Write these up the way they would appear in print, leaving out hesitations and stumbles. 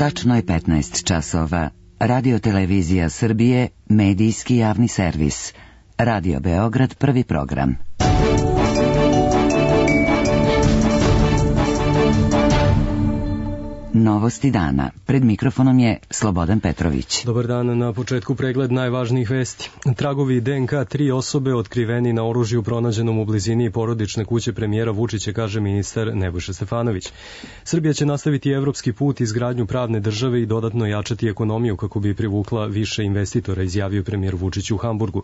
Tačno je 15 časova. Radio Televizija Srbije, medijski javni servis. Radio Beograd, prvi program. Novosti dana. Pred mikrofonom je Slobodan Petrović. Dobar dan, na početku pregled najvažnijih vesti. Tragovi DNK 3 osobe otkriveni na oružju pronađenom u blizini porodične kuće premijera Vučića, kaže ministar Nebojša Stefanović. Srbija će nastaviti evropski put, izgradnju pravne države i dodatno jačati ekonomiju kako bi privukla više investitora, izjavio premijer Vučić u Hamburgu.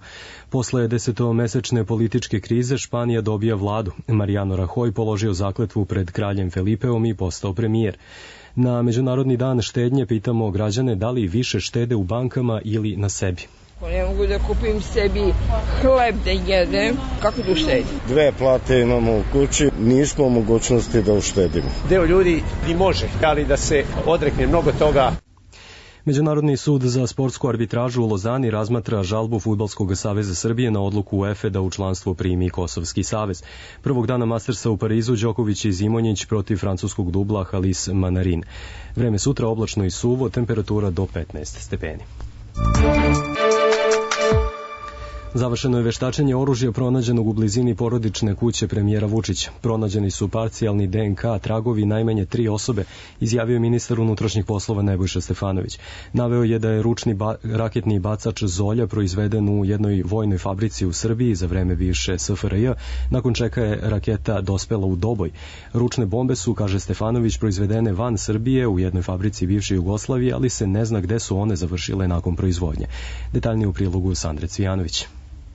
Posle 10-mesečne političke krize Španija dobija vladu. Mariano Rajoy položio zakletvu pred kraljem Felipeom i postao premijer. Na Međunarodni dan štednje pitamo građane da li više štede u bankama ili na sebi. Ne mogu da kupim sebi hleb da jedem, kako da uštedim? 2 plate imamo u kući, nismo u mogućnosti da uštedimo. Deo ljudi i može, ali da se odrekne mnogo toga. Međunarodni sud za sportsku arbitražu u Lozani razmatra žalbu Fudbalskog saveza Srbije na odluku UEFA da u članstvo primi Kosovski savez. Prvog dana Mastersa u Parizu Đoković i Zimonjić protiv francuskog dubla Halis Manarin. Vreme sutra oblačno i suvo, temperatura do 15 stepeni. Završeno je veštačenje oružja pronađenog u blizini porodične kuće premijera Vučića. Pronađeni su parcijalni DNK tragovi najmanje 3 osobe, izjavio ministar unutrašnjih poslova Nebojša Stefanović. Naveo je da je ručni raketni bacač Zolja proizveden u jednoj vojnoj fabrici u Srbiji za vreme bivše SFRJ, nakon čega je raketa dospela u Doboj. Ručne bombe su, kaže Stefanović, proizvedene van Srbije u jednoj fabrici bivše Jugoslavije, ali se ne zna gde su one završile nakon proizvodnje. Detaljnije u prilogu Sandre Cvijanović.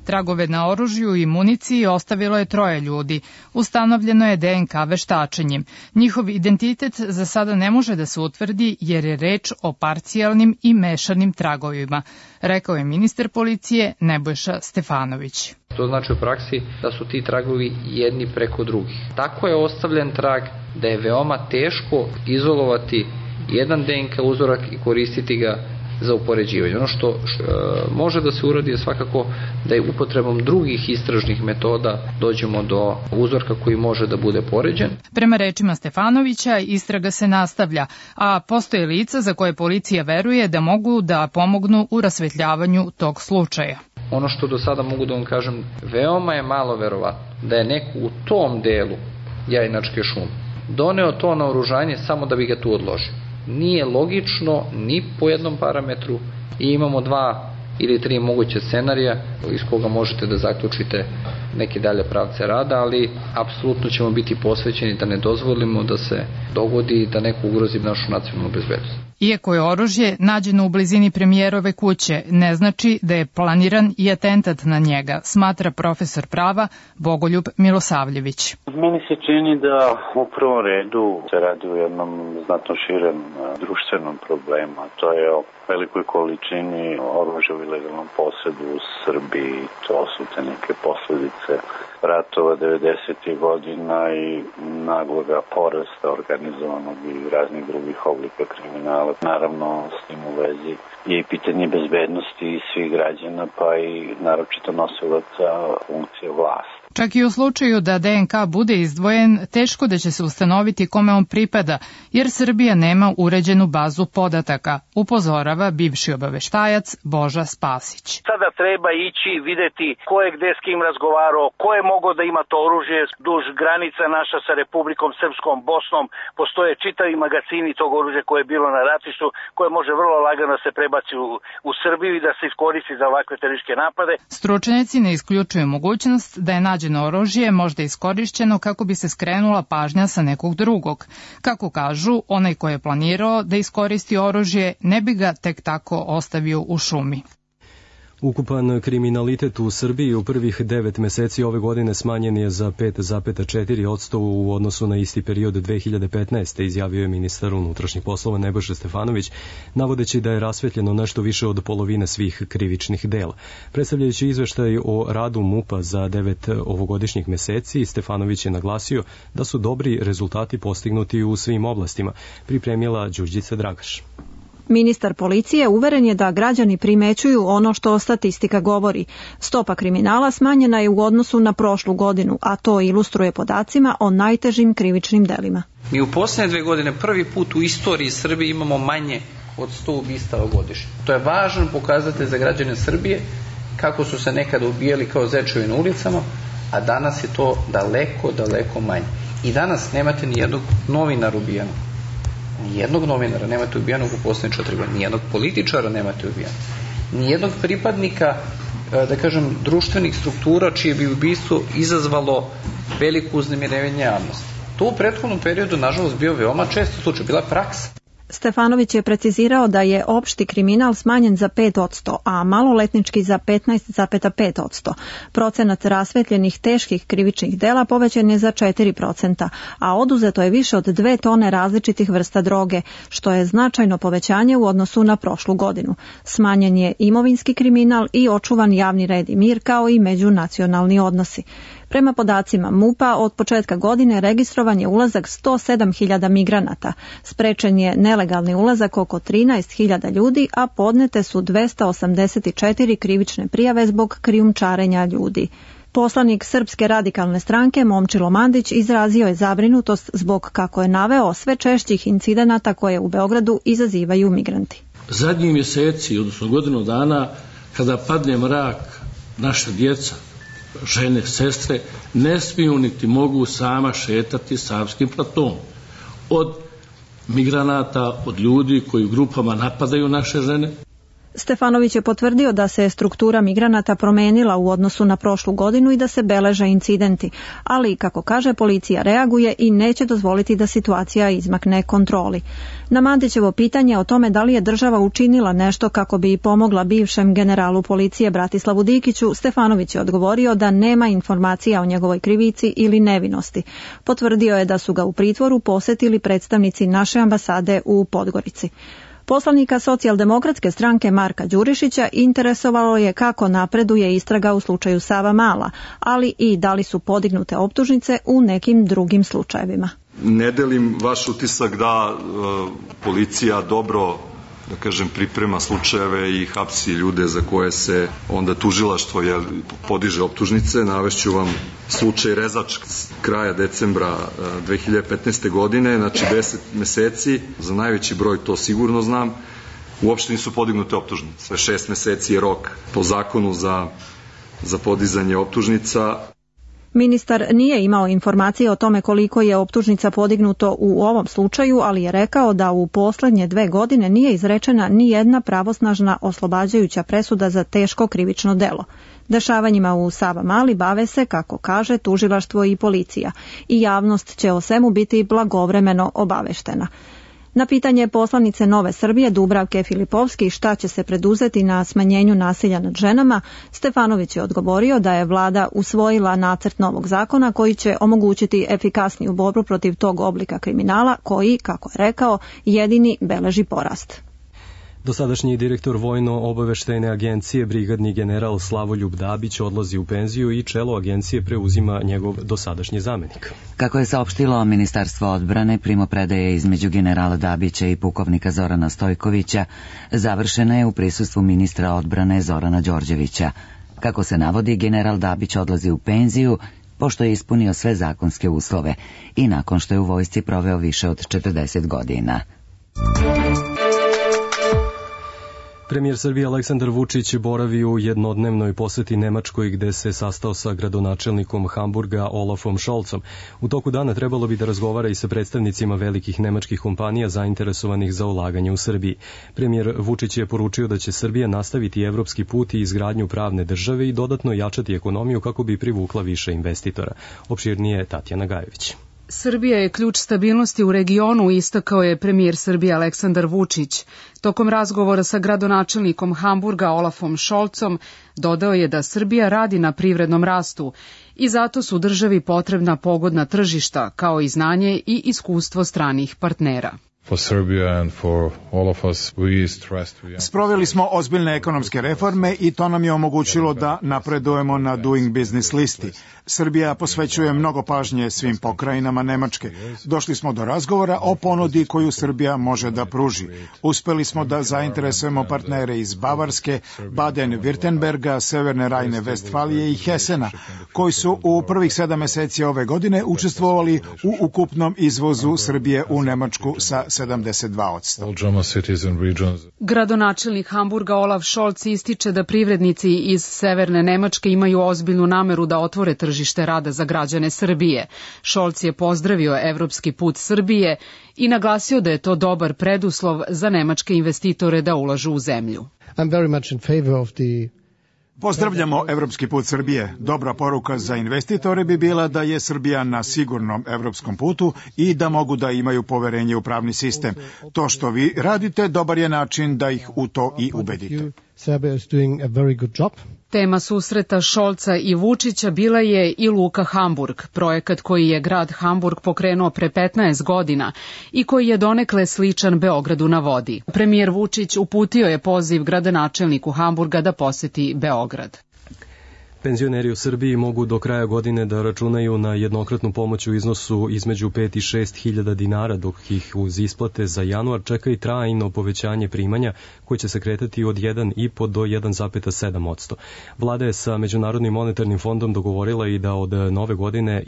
Tragove na oružju i municiji ostavilo je 3 ljudi. Ustanovljeno je DNK veštačenjem. Njihov identitet za sada ne može da se utvrdi jer je reč o parcijalnim i mešanim tragovima, rekao je ministar policije Nebojša Stefanović. To znači u praksi da su ti tragovi jedni preko drugih. Tako je ostavljen trag da je veoma teško izolovati jedan DNK uzorak i koristiti ga za upoređivanje. Ono što može da se uradi je svakako da je upotrebom drugih istražnih metoda dođemo do uzorka koji može da bude poređen. Prema rečima Stefanovića, istraga se nastavlja, a postoje lica za koje policija veruje da mogu da pomognu u rasvetljavanju tog slučaja. Ono što do sada mogu da vam kažem, veoma je malo verovatno da je neko u tom delu Jajinačke šume doneo to naoružanje samo da bi ga tu odložio. Nije logično ni po jednom parametru i imamo 2 ili 3 moguće scenarija iz koga možete da zaključite neke dalje pravce rada, ali apsolutno ćemo biti posvećeni da ne dozvolimo da se dogodi da neko ugrozi našu nacionalnu bezbednost. Iako je oružje nađeno u blizini premijerove kuće, ne znači da je planiran i atentat na njega, smatra profesor prava Bogoljub Milosavljević. Meni se čini da u prvom redu se radi o jednom znatno širem društvenom problemu, a to je o velikoj količini oružja u ilegalnom posedu u Srbiji. To su te neke posledice ratova 90. godina i nagloga porasta organizovanog i raznih drugih oblika kriminala. Naravno, s tim u vezi je i pitanje bezbednosti svih građana, pa i naročito nosilaca funkcije vlasti. Čak i u slučaju da DNK bude izdvojen, teško da će se ustanoviti kome on pripada, jer Srbija nema uređenu bazu podataka, upozorava bivši obaveštajac Boža Spasić. Sada treba ići videti ko je gde s kim razgovarao, ko je mogao da ima to oružje duž granica naša sa Republikom Srpskom, Bosnom. Postoje čitavi magazini tog oružja koje je bilo na ratištu, koje može vrlo lagano se prebaci u Srbiju i da se iskoristi za ovakve terorističke napade. Stručnjaci ne isključuju mogućnost da je nađeno oružje možda iskorišćeno kako bi se skrenula pažnja sa nekog drugog. Kako kažu, onaj ko je planirao da iskoristi oružje ne bi ga tek tako ostavio u šumi. Ukupan kriminalitet u Srbiji u prvih 9 meseci ove godine smanjen je za 5,4% u odnosu na isti period 2015. izjavio je ministar unutrašnjih poslova Nebojša Stefanović, navodeći da je rasvetljeno nešto više od polovine svih krivičnih dela. Predstavljajući izveštaj o radu MUP-a za 9 ovogodišnjih meseci, Stefanović je naglasio da su dobri rezultati postignuti u svim oblastima, pripremila Đurđica Dragaš. Ministar policije uveren je da građani primećuju ono što statistika govori. Stopa kriminala smanjena je u odnosu na prošlu godinu, a to ilustruje podacima o najtežim krivičnim delima. Mi u posljednje 2 godine prvi put u istoriji Srbije imamo manje od 100 ubistava godišnje. To je važan pokazatelj za građane Srbije, kako su se nekada ubijali kao zečevi na ulicama, a danas je to daleko, daleko manje. I danas nemate ni jednog novinara ubijenog. Nijednog novinara nemate ubijenog u posljednje 4 godine. Nijednog političara nemate ubijenog. Nijednog pripadnika, da kažem, društvenih struktura čije bi ubistvo izazvalo veliko uznemirivanje javnosti. To u prethodnom periodu, nažalost, bio veoma često slučaj, bila praksa. Stefanović je precizirao da je opšti kriminal smanjen za 5%, a maloletnički za 15,5%. Procenat rasvetljenih teških krivičnih dela povećan je za 4%, a oduzeto je više od 2 tone različitih vrsta droge, što je značajno povećanje u odnosu na prošlu godinu. Smanjen je imovinski kriminal i očuvan javni red i mir, kao i međunacionalni odnosi. Prema podacima MUP-a, od početka godine registrovan je ulazak 107.000 migranata. Sprečen je nelegalni ulazak oko 13.000 ljudi, a podnete su 284 krivične prijave zbog krijumčarenja ljudi. Poslanik Srpske radikalne stranke Momčilo Mandić izrazio je zabrinutost zbog, kako je naveo, sve češćih incidenata koje u Beogradu izazivaju migranti. Zadnjih mjeseci, odnosno godinu dana, kada padne mrak, naša djeca, žene, sestre, ne smiju niti mogu sama šetati Savskim platom. Od migranata, od ljudi koji u grupama napadaju naše žene. Stefanović je potvrdio da se struktura migranata promenila u odnosu na prošlu godinu i da se beleže incidenti, ali, kako kaže, policija reaguje i neće dozvoliti da situacija izmakne kontroli. Na Mandićevo pitanje o tome da li je država učinila nešto kako bi pomogla bivšem generalu policije Bratislavu Dikiću, Stefanović je odgovorio da nema informacija o njegovoj krivici ili nevinosti. Potvrdio je da su ga u pritvoru posetili predstavnici naše ambasade u Podgorici. Poslanika Socijaldemokratske stranke Marka Đurišića interesovalo je kako napreduje istraga u slučaju Savamala, ali i da li su podignute optužnice u nekim drugim slučajevima. Ne delim vaš utisak da policija dobro, da kažem, priprema slučajeve i hapsi ljude za koje se onda tužilaštvo podiže optužnice. Navešću vam slučaj Rezač kraja decembra 2015. godine, znači 10 meseci, za najveći broj to sigurno znam, uopšte nisu podignute optužnice. 6 meseci je rok po zakonu za podizanje optužnica. Ministar nije imao informacije o tome koliko je optužnica podignuto u ovom slučaju, ali je rekao da u poslednje 2 godine nije izrečena ni jedna pravosnažna oslobađajuća presuda za teško krivično delo. Dešavanjima u Savamali bave se, kako kaže, tužilaštvo i policija i javnost će o svemu biti blagovremeno obaveštena. Na pitanje poslanice Nove Srbije Dubravke Filipovski šta će se preduzeti na smanjenju nasilja nad ženama, Stefanović je odgovorio da je vlada usvojila nacrt novog zakona koji će omogućiti efikasniju borbu protiv tog oblika kriminala koji, kako je rekao, jedini beleži porast. Dosadašnji direktor Vojno-obaveštajne agencije, brigadni general Slavoljub Dabić, odlazi u penziju i čelo agencije preuzima njegov dosadašnji zamenik. Kako je saopštilo Ministarstvo odbrane, primopredaje između generala Dabića i pukovnika Zorana Stojkovića završena je u prisustvu ministra odbrane Zorana Đorđevića. Kako se navodi, general Dabić odlazi u penziju pošto je ispunio sve zakonske uslove i nakon što je u vojsci proveo više od 40 godina. Premijer Srbije Aleksandar Vučić boravi u jednodnevnoj poseti Nemačkoj gde se sastao sa gradonačelnikom Hamburga Olafom Scholzom. U toku dana trebalo bi da razgovara i sa predstavnicima velikih nemačkih kompanija zainteresovanih za ulaganje u Srbiji. Premijer Vučić je poručio da će Srbija nastaviti evropski put i izgradnju pravne države i dodatno jačati ekonomiju kako bi privukla više investitora. Opširnije Tatjana Gajević. Srbija je ključ stabilnosti u regionu, istakao je premijer Srbije Aleksandar Vučić. Tokom razgovora sa gradonačelnikom Hamburga Olafom Scholzom dodao je da Srbija radi na privrednom rastu i zato su državi potrebna pogodna tržišta, kao i znanje i iskustvo stranih partnera. Sproveli smo ozbiljne ekonomske reforme i to nam je omogućilo da napredujemo na Doing Business listi. Srbija posvećuje mnogo pažnje svim pokrajinama Nemačke. Došli smo do razgovora o ponudi koju Srbija može da pruži. Uspeli smo da zainteresujemo partnere iz Bavarske, Baden-Württemberga, Severne Rajne-Vestfalije i Hesena, koji su u prvih 7 meseci ove godine učestvovali u ukupnom izvozu Srbije u Nemačku sa 72%. Gradonačelnik Hamburga Olaf Scholz ističe da privrednici iz Severne Nemačke imaju ozbiljnu nameru da otvore tržište rada za građane Srbije. Scholz je pozdravio evropski put Srbije i naglasio da je to dobar preduslov za nemačke investitore da ulažu u zemlju. Pozdravljamo evropski put Srbije. Dobra poruka za investitore bi bila da je Srbija na sigurnom evropskom putu i da mogu da imaju poverenje u pravni sistem. To što vi radite dobar je način da ih u to i ubedite. Tema susreta Scholza i Vučića bila je i Luka Hamburg, projekat koji je grad Hamburg pokrenuo pre 15 godina i koji je donekle sličan Beogradu na vodi. Premijer Vučić uputio je poziv gradonačelniku Hamburga da poseti Beograd. Penzioneri u Srbiji mogu do kraja godine da računaju na jednokratnu pomoć u iznosu između 5 i 6 hiljada dinara, dok ih uz isplate za januar čeka i trajno povećanje primanja koje će se kretati od 1,5 do 1,7%. Vlada je sa Međunarodnim monetarnim fondom dogovorila i da od nove godine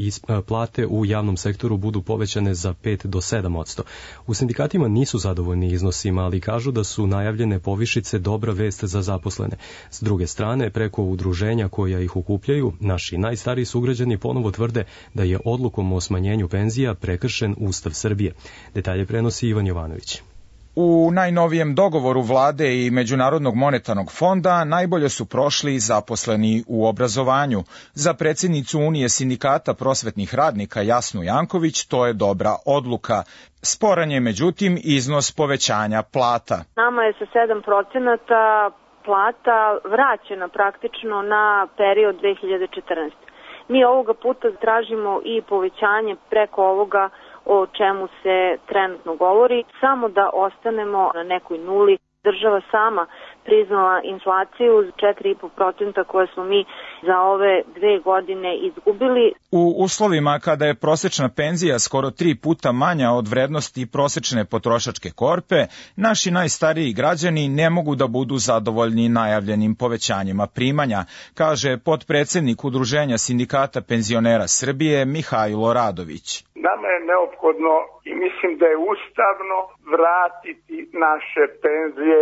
plate u javnom sektoru budu povećane za 5 do 7%. U sindikatima nisu zadovoljni iznosima, ali kažu da su najavljene povišice dobra vest za zaposlene. S druge strane, preko udruženja koja ih okupljaju, naši najstariji sugrađani ponovo tvrde da je odlukom o smanjenju penzija prekršen Ustav Srbije. Detalje prenosi Ivan Jovanović. U najnovijem dogovoru vlade i Međunarodnog monetarnog fonda najbolje su prošli zaposleni u obrazovanju. Za predsjednicu Unije sindikata prosvetnih radnika Jasnu Janković to je dobra odluka. Sporan je međutim iznos povećanja plata. Nama je sa 7% plata vraćena praktično na period 2014. Mi ovoga puta tražimo i povećanje preko ovoga o čemu se trenutno govori, samo da ostanemo na nekoj nuli. Država sama priznala inflaciju 4,5% koje smo mi za ove 2 godine izgubili. U uslovima kada je prosečna penzija skoro 3 puta manja od vrednosti prosečne potrošačke korpe, naši najstariji građani ne mogu da budu zadovoljni najavljenim povećanjima primanja, kaže potpredsednik Udruženja sindikata penzionera Srbije Mihajlo Radović. Nama je neophodno i mislim da je ustavno vratiti naše penzije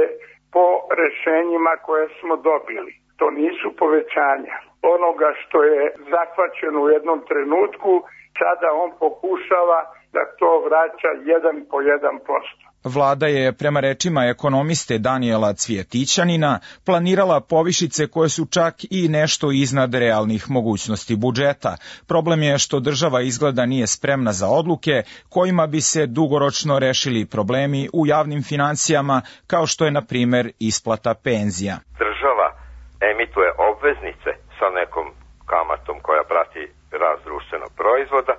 po rešenjima koje smo dobili. To nisu povećanja onoga što je zahvaćeno u jednom trenutku, sada on pokušava da to vraća 1 po 1%. Vlada je, prema rečima ekonomiste Danijela Cvjetićanina, planirala povišice koje su čak i nešto iznad realnih mogućnosti budžeta. Problem je što država izgleda nije spremna za odluke kojima bi se dugoročno rešili problemi u javnim financijama, kao što je, na primer, isplata penzija. Država emituje obveznice sa nekom kamatom koja prati rast društvenog proizvoda,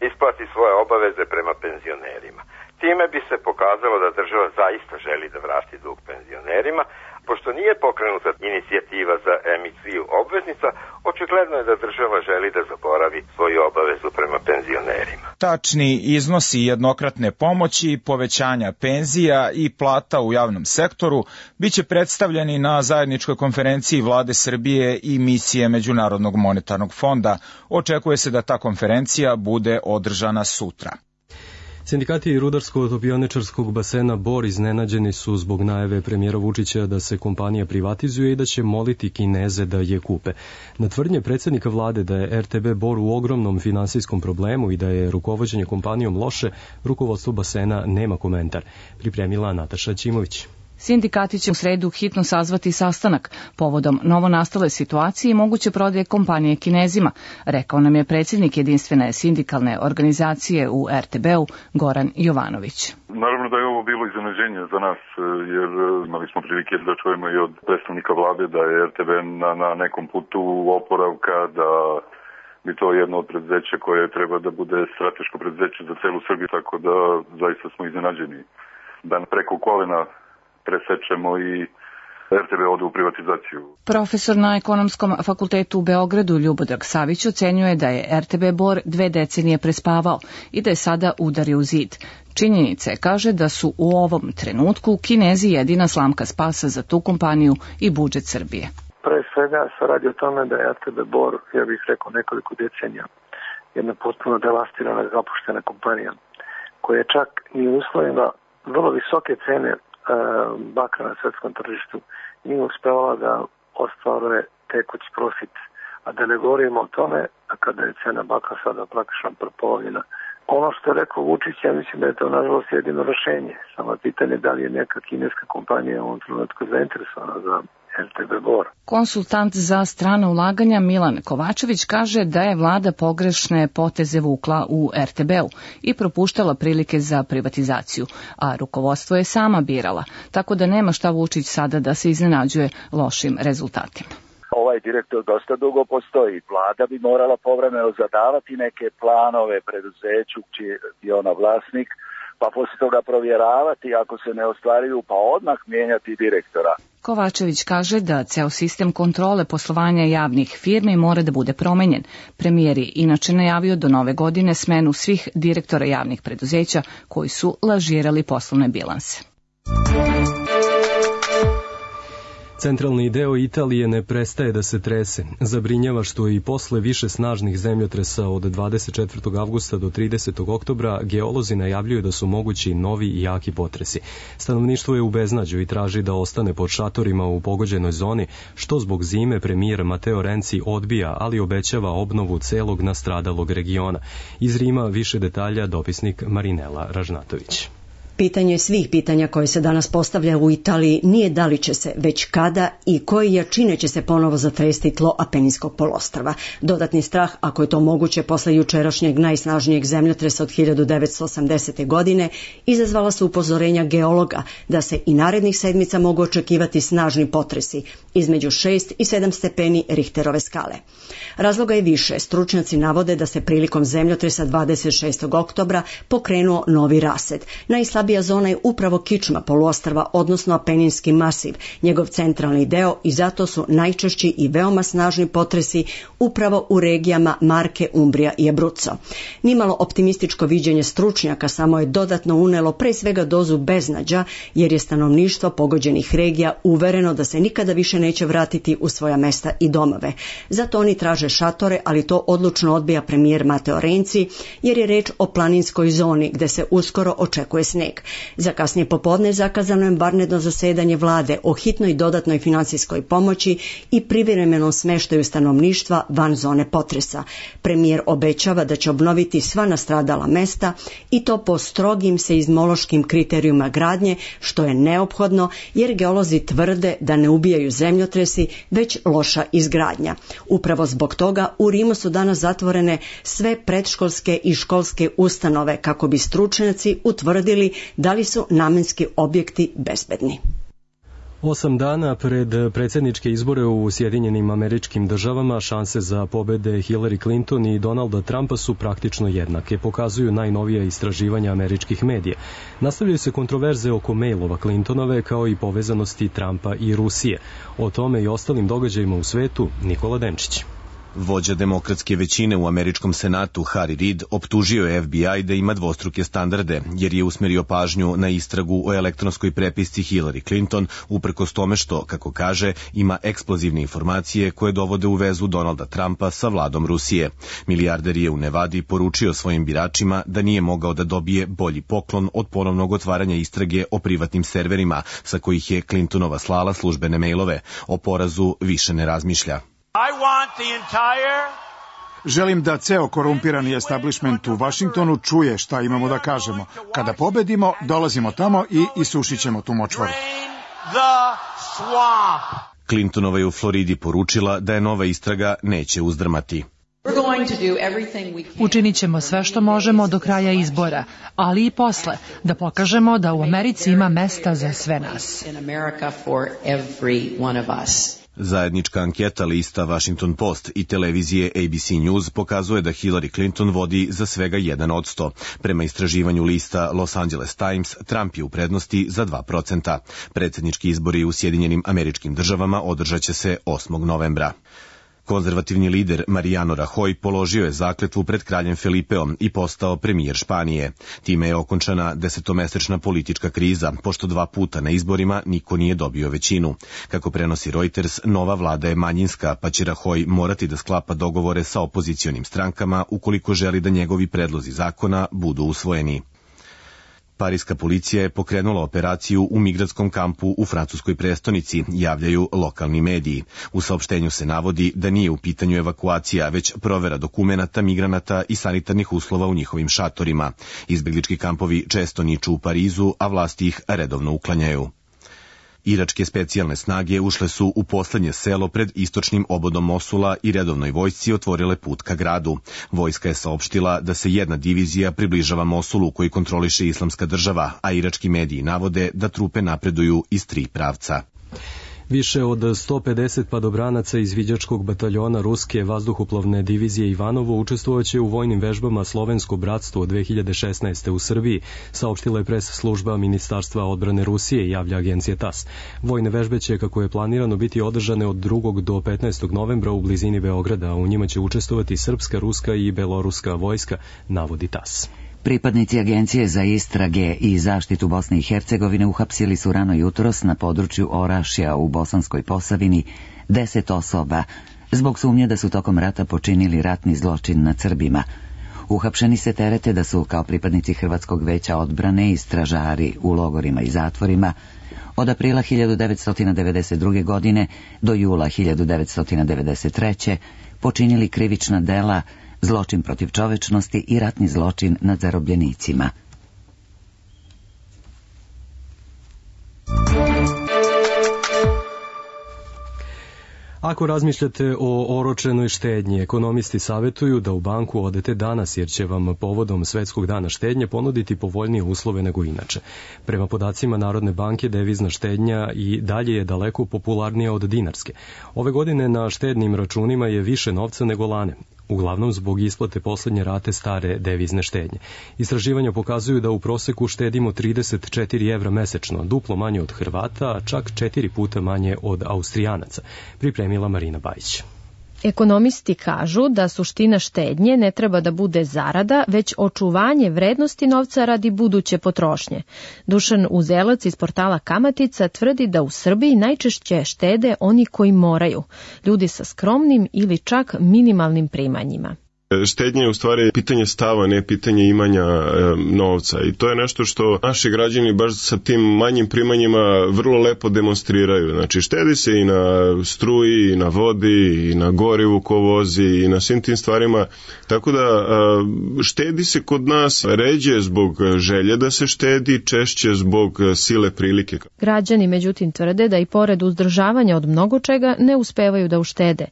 isplati svoje obaveze prema penzionerima. Time bi se pokazalo da država zaista želi da vrati dug penzionerima. Pošto nije pokrenuta inicijativa za emisiju obveznica, očigledno je da država želi da zaboravi svoju obavezu prema penzionerima. Tačni iznosi jednokratne pomoći, povećanja penzija i plata u javnom sektoru biće predstavljeni na zajedničkoj konferenciji Vlade Srbije i misije Međunarodnog monetarnog fonda. Očekuje se da ta konferencija bude održana sutra. Sindikati rudarsko-topioničarskog basena Bor iznenađeni su zbog najave premijera Vučića da se kompanija privatizuje i da će moliti Kineze da je kupe. Na tvrdnje predsjednika vlade da je RTB Bor u ogromnom finansijskom problemu i da je rukovođenje kompanijom loše, rukovodstvo basena nema komentar. Pripremila Nataša Ćimović. Sindikati će u sredu hitno sazvati sastanak povodom novonastale situacije i moguće prodaje kompanije Kinezima, rekao nam je predsjednik jedinstvene sindikalne organizacije u RTB-u Goran Jovanović. Naravno da je ovo bilo iznenađenje za nas, jer imali smo prilike da čujemo i od predstavnika vlade da je RTB na nekom putu oporavka, da bi to jedno od preduzeća koje treba da bude strateško preduzeće za celu Srbiju, tako da zaista smo iznenađeni da preko kolena presečemo i RTB ode u privatizaciju. Profesor na Ekonomskom fakultetu u Beogradu Ljubodrag Savić ocenjuje da je RTB Bor 2 decenije prespavao i da je sada udario u zid. Činjenica je, kaže, da su u ovom trenutku Kinezi jedina slamka spasa za tu kompaniju i budžet Srbije. Pre svega se radi o tome da je RTB Bor, ja bih rekao nekoliko decenija, jedna potpuno devastirana i zapuštena kompanija, koja je čak i u uslovima vrlo visoke cene bakra na svetskom tržištu nije uspevala da ostvaruje tekući profit. A da ne govorimo o tome, a kada je cena bakra sada praktično prepolovljena. Ono što je rekao Vučić, ja mislim da je to nažalost jedino rešenje. Samo pitanje da li je neka kineska kompanija u ovom trenutku zainteresovana za RTB Bor. Konsultant za strana ulaganja Milan Kovačević kaže da je vlada pogrešne poteze vukla u RTB-u i propuštala prilike za privatizaciju, a rukovodstvo je sama birala, tako da nema šta Vučić sada da se iznenađuje lošim rezultatima. Ovaj direktor dosta dugo postoji. Vlada bi morala povremeno zadavati neke planove preduzeću čiji je ona vlasnik, pa poslije toga provjeravati, ako se ne ostvaruju, pa odmah mijenjati direktora. Kovačević kaže da ceo sistem kontrole poslovanja javnih firmi mora da bude promenjen. Premijer je inače najavio do nove godine smenu svih direktora javnih preduzeća koji su lažirali poslovne bilanse. Centralni deo Italije ne prestaje da se trese. Zabrinjava što i posle više snažnih zemljotresa od 24. avgusta do 30. oktobra geolozi najavljuju da su mogući novi i jaki potresi. Stanovništvo je u beznađu i traži da ostane pod šatorima u pogođenoj zoni, što zbog zime premijer Mateo Renci odbija, ali obećava obnovu celog nastradalog regiona. Iz Rima više detalja dopisnik Marinela Ražnatović. Pitanje svih pitanja koje se danas postavlja u Italiji nije da li će se, već kada i koje jačine će se ponovo zatresti tlo Apeninskog poluostrva. Dodatni strah, ako je to moguće posle jučerašnjeg najsnažnijeg zemljotresa od 1980. godine, izazvala su upozorenja geologa da se i narednih sedmica mogu očekivati snažni potresi između 6 i 7 stepeni Richterove skale. Razloga je više. Stručnjaci navode da se prilikom zemljotresa 26. oktobra pokrenuo novi rased. Najslabija zona je upravo kičma poluostrva, odnosno Apeninski masiv, njegov centralni deo, i zato su najčešći i veoma snažni potresi upravo u regijama Marke, Umbrija i Abruzzo. Nimalo optimističko viđenje stručnjaka samo je dodatno unelo pre svega dozu beznađa, jer je stanovništvo pogođenih regija uvereno da se nikada više neće vratiti u svoja mesta i domove. Zato oni traže šatore, ali to odlučno odbija premijer Mateo Renci, jer je reč o planinskoj zoni gde se uskoro očekuje sneg. Za kasnije popodne zakazano je vanredno zasedanje vlade o hitnoj dodatnoj finansijskoj pomoći i privremenom smeštaju stanovništva van zone potresa. Premijer obećava da će obnoviti sva nastradala mesta i to po strogim seizmološkim kriterijuma gradnje, što je neophodno jer geolozi tvrde da ne ubijaju zemljotresi, već loša izgradnja. Upravo zbog toga u Rimu su danas zatvorene sve predškolske i školske ustanove kako bi stručnjaci utvrdili da li su namenski objekti bezbedni. 8 dana pred predsjedničke izbore u Sjedinjenim Američkim Državama šanse za pobede Hillary Clinton i Donalda Trumpa su praktično jednake, pokazuju najnovija istraživanja američkih medija. Nastavljaju se kontroverze oko mailova Clintonove kao i povezanosti Trumpa i Rusije. O tome i ostalim događajima u svetu Nikola Denčić. Vođa demokratske većine u američkom senatu Harry Reid optužio je FBI da ima dvostruke standarde, jer je usmerio pažnju na istragu o elektronskoj prepisci Hillary Clinton, uprkos tome što, kako kaže, ima eksplozivne informacije koje dovode u vezu Donalda Trumpa sa vladom Rusije. Milijarder je u Nevadi poručio svojim biračima da nije mogao da dobije bolji poklon od ponovnog otvaranja istrage o privatnim serverima, sa kojih je Clintonova slala službene mailove. O porazu više ne razmišlja. Želim da ceo korumpirani establishment u Vašingtonu čuje šta imamo da kažemo. Kada pobedimo, dolazimo tamo i isušit ćemo tu močvaru. Clintonova je u Floridi poručila da je nova istraga neće uzdrmati. Učinit ćemo sve što možemo do kraja izbora, ali i posle, da pokažemo da u Americi ima mesta za sve nas. Zajednička anketa lista Washington Post i televizije ABC News pokazuje da Hillary Clinton vodi za svega 1%. Prema istraživanju lista Los Angeles Times, Trump je u prednosti za 2%. Predsjednički izbori u Sjedinjenim Američkim Državama održat će se 8. novembra. Konzervativni lider Mariano Rajoy položio je zakletvu pred kraljem Felipeom i postao premijer Španije. Time je okončana 10-mesečna politička kriza, pošto 2 puta na izborima niko nije dobio većinu. Kako prenosi Reuters, nova vlada je manjinska, pa će Rajoy morati da sklapa dogovore sa opozicionim strankama ukoliko želi da njegovi predlozi zakona budu usvojeni. Pariska policija je pokrenula operaciju u migratskom kampu u francuskoj prestonici, javljaju lokalni mediji. U saopštenju se navodi da nije u pitanju evakuacija, već provera dokumenata migranata i sanitarnih uslova u njihovim šatorima. Izbeglički kampovi često niču u Parizu, a vlasti ih redovno uklanjaju. Iračke specijalne snage ušle su u poslednje selo pred istočnim obodom Mosula i redovnoj vojsci otvorile put ka gradu. Vojska je saopštila da se jedna divizija približava Mosulu koji kontroliše Islamska država, a irački mediji navode da trupe napreduju iz 3 pravca. Više od 150 padobranaca iz viđačkog bataljona Ruske vazduhoplovne divizije Ivanovo učestvovaće u vojnim vežbama Slovensko bratstvo 2016. u Srbiji, saopštila je pres služba Ministarstva odbrane Rusije, javlja agencija TAS. Vojne vežbe će, kako je planirano, biti održane od 2. do 15. novembra u blizini Beograda, a u njima će učestvovati srpska, ruska i beloruska vojska, navodi TAS. Pripadnici Agencije za istrage i zaštitu Bosne i Hercegovine uhapsili su rano jutros na području Orašja u Bosanskoj Posavini 10 osoba zbog sumnje da su tokom rata počinili ratni zločin nad Srbima. Uhapšeni se terete da su kao pripadnici Hrvatskog veća odbrane i stražari u logorima i zatvorima od aprila 1992. godine do jula 1993. počinili krivična dela, zločin protiv čovečnosti i ratni zločin nad zarobljenicima. Ako razmišljate o oročenoj štednji, ekonomisti savjetuju da u banku odete danas, jer će vam povodom Svetskog dana štednje ponuditi povoljnije uslove nego inače. Prema podacima Narodne banke, devizna štednja i dalje je daleko popularnija od dinarske. Ove godine na štednim računima je više novca nego lane, uglavnom zbog isplate poslednje rate stare devizne štednje. Istraživanja pokazuju da u proseku štedimo 34 evra mesečno, duplo manje od Hrvata, a čak 4 puta manje od Austrijanaca, pripremila Marina Bajić. Ekonomisti kažu da suština štednje ne treba da bude zarada, već očuvanje vrednosti novca radi buduće potrošnje. Dušan Uzelac iz portala Kamatica tvrdi da u Srbiji najčešće štede oni koji moraju, ljudi sa skromnim ili čak minimalnim primanjima. Štednja je u stvari pitanje stava, ne pitanje imanja novca, i to je nešto što naši građani baš sa tim manjim primanjima vrlo lepo demonstriraju. Znači, štedi se i na struji, i na vodi, i na gorivu ko vozi, i na svim tim stvarima, tako da štedi se kod nas ređe zbog želje da se štedi, češće zbog sile prilike. Građani međutim tvrde da i pored uzdržavanja od mnogo čega ne uspevaju da uštede.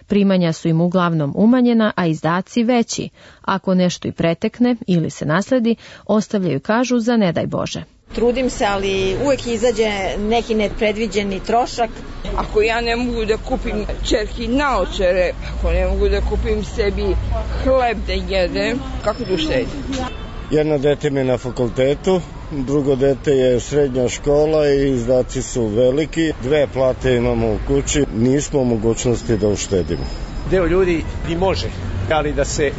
Primanja su im uglavnom umanjena, a izdaci veći. Ako nešto i pretekne ili se nasledi, ostavljaju, kažu, za ne daj Bože. Trudim se, ali uvek izađe neki nepredviđeni trošak. Ako ja ne mogu da kupim ćerki naočare, ako ne mogu da kupim sebi hleb da jedem, kako da uštedim? Jedno dete mi je na fakultetu, drugo dete je srednja škola i izdaci su veliki. 2 plate imamo u kući, nismo u mogućnosti da uštedimo. Deo ljudi i može, ali da se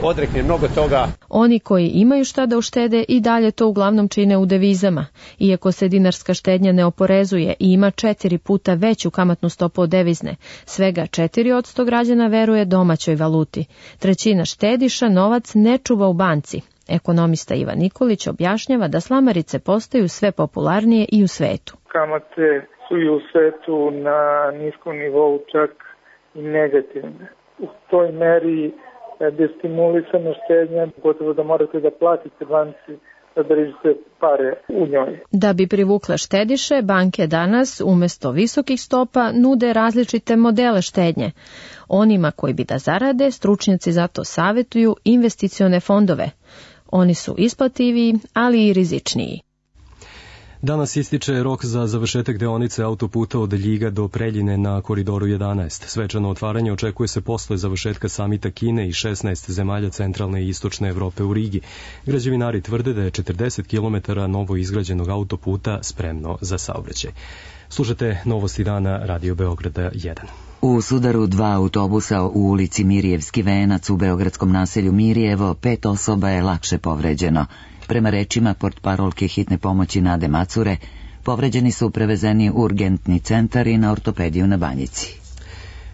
odrekne mnogo toga. Oni koji imaju šta da uštede i dalje to uglavnom čine u devizama. Iako se dinarska štednja ne oporezuje i ima 4 puta veću kamatnu stopu od devizne, svega 4% građana veruje domaćoj valuti. 1/3 štediša novac ne čuva u banci. Ekonomista Ivan Nikolić objašnjava da slamarice postaju sve popularnije i u svetu. Kamate su i u svetu na niskom nivou, čak i negativne. U toj meri destimulisana štednja, gotovo da morate da platite banci da držite pare u njoj. Da bi privukle štediše, banke danas umesto visokih stopa nude različite modele štednje. Onima koji bi da zarade, stručnjaci zato savjetuju investicione fondove. Oni su isplativiji, ali i rizičniji. Danas ističe rok za završetak deonice autoputa od Ljiga do Preljine na Koridoru 11. Svečano otvaranje očekuje se posle završetka samita Kine i 16 zemalja centralne i istočne Evrope u Rigi. Građevinari tvrde da je 40 km novo izgrađenog autoputa spremno za saobraćaj. Slušate Novosti dana Radio Beograda 1. U sudaru 2 autobusa u ulici Mirijevski venac u beogradskom naselju Mirijevo 5 osoba je lakše povređeno. Prema rečima portparolke hitne pomoći Nade Macure, povređeni su prevezeni u urgentni centar i na ortopediju na Banjici.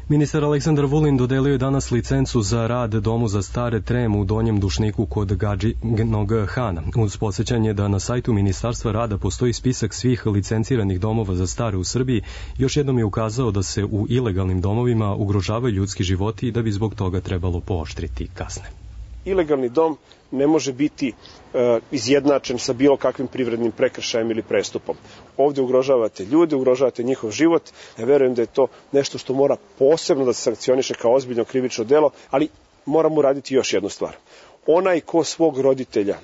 Ministar Aleksandar Vulin dodelio je danas licencu za rad Domu za stare Trem u Donjem Dušniku kod Gadžinog Hana. Uz podsjećanje da na sajtu Ministarstva rada postoji spisak svih licenciranih domova za stare u Srbiji, još jednom je ukazao da se u ilegalnim domovima ugrožavaju ljudski životi i da bi zbog toga trebalo pooštriti kazne. Ilegalni dom ne može biti izjednačen sa bilo kakvim privrednim prekršajem ili prestupom. Ovdje ugrožavate ljude, ugrožavate njihov život. Ja verujem da je to nešto što mora posebno da se sankcioniše kao ozbiljno krivično delo, ali moramo uraditi još jednu stvar. Onaj ko svog roditelja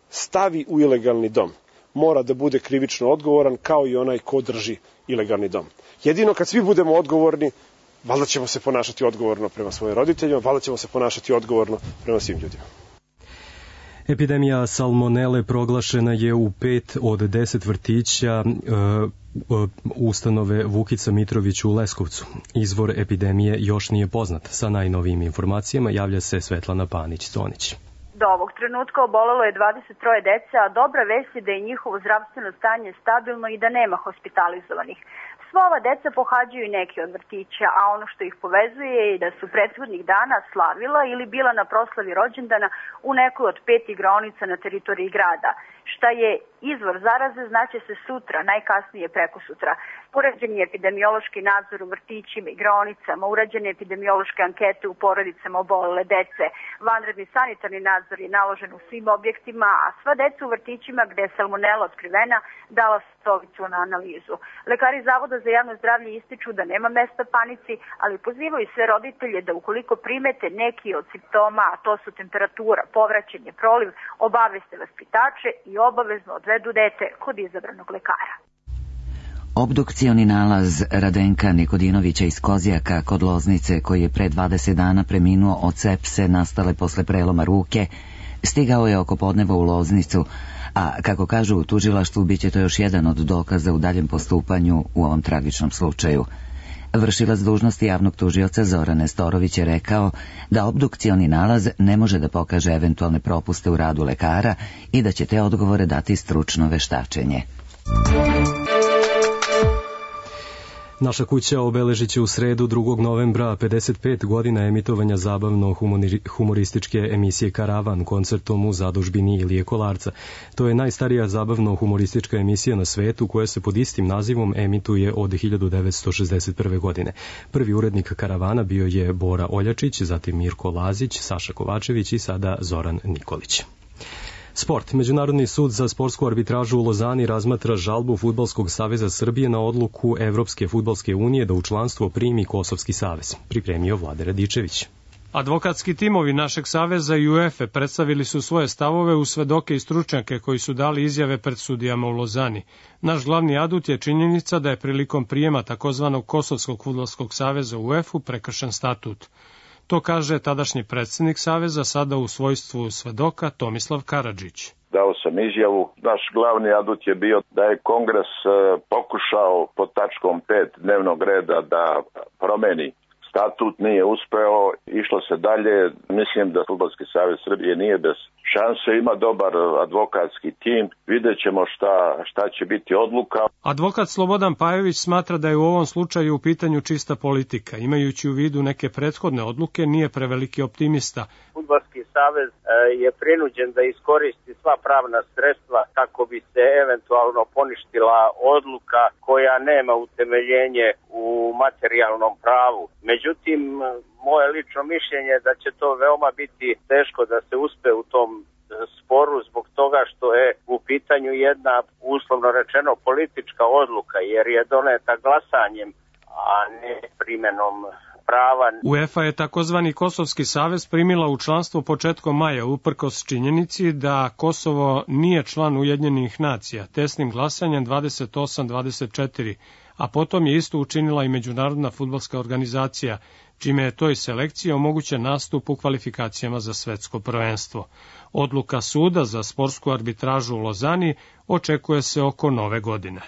stavi u ilegalni dom mora da bude krivično odgovoran kao i onaj ko drži ilegalni dom. Jedino kad svi budemo odgovorni, valjda ćemo se ponašati odgovorno prema svojim roditeljima, valjda ćemo se ponašati odgovorno prema svim ljudima. Epidemija salmonele proglašena je u 5 od 10 vrtića ustanove Vukica Mitrović u Leskovcu. Izvor epidemije još nije poznat. Sa najnovijim informacijama javlja se Svetlana Panić-Conić. Do ovog trenutka obolelo je 23 dece, a dobra vest je da je njihovo zdravstveno stanje stabilno i da nema hospitalizovanih. Sva ova deca pohađaju neki od vrtića, a ono što ih povezuje je da su prethodnih dana slavila ili bila na proslavi rođendana u nekoj od 5 igraonica na teritoriji grada. Šta je izvor zaraze znaće se sutra, najkasnije prekosutra. Urađen je epidemiološki nadzor u vrtićima i igraonicama, urađene epidemiološke ankete u porodicama obolele dece, vanredni sanitarni nadzor je naložen u svim objektima, a sva deca u vrtićima gde je salmonela otkrivena dala stovicu na analizu. Lekari Zavoda za javno zdravlje ističu da nema mesta panici, ali pozivaju sve roditelje da ukoliko primete neki od simptoma, a to su temperatura, povraćanje, proliv, obaveste vaspitače i obavezno odvedu dete kod izabranog lekara. Obdukcioni nalaz Radenka Nikodinovića iz Kozjaka kod Loznice, koji je pre 20 dana preminuo od sepse nastale posle preloma ruke, stigao je oko podneva u Loznicu, a kako kažu u tužilaštvu, bit će to još jedan od dokaza u daljem postupanju u ovom tragičnom slučaju. Vršilac dužnosti javnog tužioca Zoran Nestorović je rekao da obdukcioni nalaz ne može da pokaže eventualne propuste u radu lekara i da će te odgovore dati stručno veštačenje. Naša kuća obeležit će u sredu 2. novembra 55 godina emitovanja zabavno-humorističke emisije Karavan koncertom u zadužbini Ilije Kolarca. To je najstarija zabavno-humoristička emisija na svetu koja se pod istim nazivom emituje od 1961. godine. Prvi urednik Karavana bio je Bora Oljačić, zatim Mirko Lazić, Saša Kovačević i sada Zoran Nikolić. Sport. Međunarodni sud za sportsku arbitražu u Lozani razmatra žalbu Fudbalskog saveza Srbije na odluku Evropske fudbalske unije da u članstvo primi Kosovski savez. Pripremio Vlade Radičević. Advokatski timovi našeg saveza i UEFA predstavili su svoje stavove u svedoke i stručnjake koji su dali izjave pred sudijama u Lozani. Naš glavni adut je činjenica da je prilikom prijema takozvanog Kosovskog fudbalskog saveza u UEFA prekršen statut. To kaže tadašnji predsjednik Saveza, sada u svojstvu svedoka Tomislav Karadžić. Dao sam izjavu. Naš glavni adut je bio da je Kongres pokušao pod tačkom 5 dnevnog reda da promeni statut, nije uspeo, išlo se dalje. Mislim da Fudbalski savez Srbije nije bez šanse, ima dobar advokatski tim, vidjet ćemo šta će biti odluka. Advokat Slobodan Pajović smatra da je u ovom slučaju u pitanju čista politika. Imajući u vidu neke prethodne odluke, nije preveliki optimista. Fudbalski savez je prinuđen da iskoristi sva pravna sredstva kako bi se eventualno poništila odluka koja nema utemeljenje u materijalnom pravu. Međutim, moje lično mišljenje je da će to veoma biti teško da se uspe u tom sporu zbog toga što je u pitanju jedna, uslovno rečeno, politička odluka, jer je doneta glasanjem, a ne primenom prava. UEFA je takozvani Kosovski savez primila u članstvo početkom maja, uprkos činjenici da Kosovo nije član Ujedinjenih nacija, tesnim glasanjem 28-24, a potom je isto učinila i Međunarodna fudbalska organizacija, čime je toj selekciji omogućen nastup u kvalifikacijama za svetsko prvenstvo. Odluka suda za sportsku arbitražu u Lozani očekuje se oko nove godine.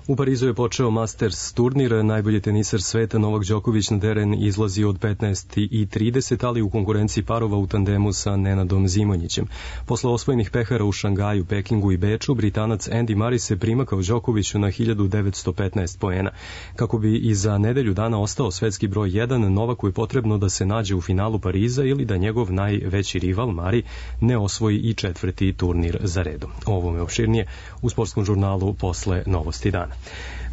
U Parizu je počeo Masters turnir, najbolji teniser sveta Novak Đoković na teren izlazi od 15:30, ali u konkurenciji parova u tandemu sa Nenadom Zimonjićem. Posle osvojenih pehara u Šangaju, Pekingu i Beču, Britanac Andy Murray se primakao Đokoviću na 1915 poena. Kako bi i za nedelju dana ostao svetski broj 1, Novaku je potrebno da se nađe u finalu Pariza ili da njegov najveći rival Murray ne osvoji i četvrti turnir za redom. O ovome opširnije u sportskom žurnalu posle Novosti dana.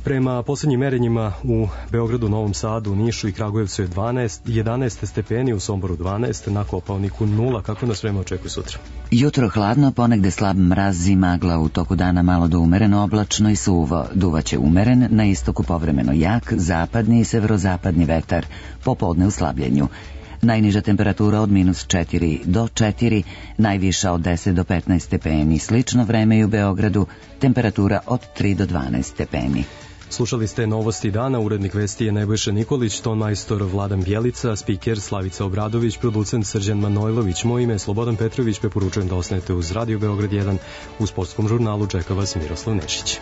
Prema poslednjim merenjima u Beogradu, Novom Sadu, Nišu i Kragujevcu je 11 stepeni, u Somboru 12, na Kopaoniku 0. Kako nas vreme očekuje sutra? Jutro hladno, ponegde slab mraz i magla, u toku dana malo do umereno oblačno i suvo. Duvaće umeren, na istoku povremeno jak, zapadni i severozapadni vetar, popodne u slabljenju. Najniža temperatura od -4 do 4, najviša od 10 do 15 stepeni. Slično vreme i u Beogradu, temperatura od 3 do 12 stepeni. Slušali ste Novosti dana, urednik vesti je Nebojša Nikolić, tonmajstor Vladan Bjelica, spiker Slavica Obradović, producent Srđan Manojlović. Moje ime je Slobodan Petrović, preporučujem da ostanete uz Radio Beograd 1. U sportskom žurnalu čeka vas Miroslav Nešić.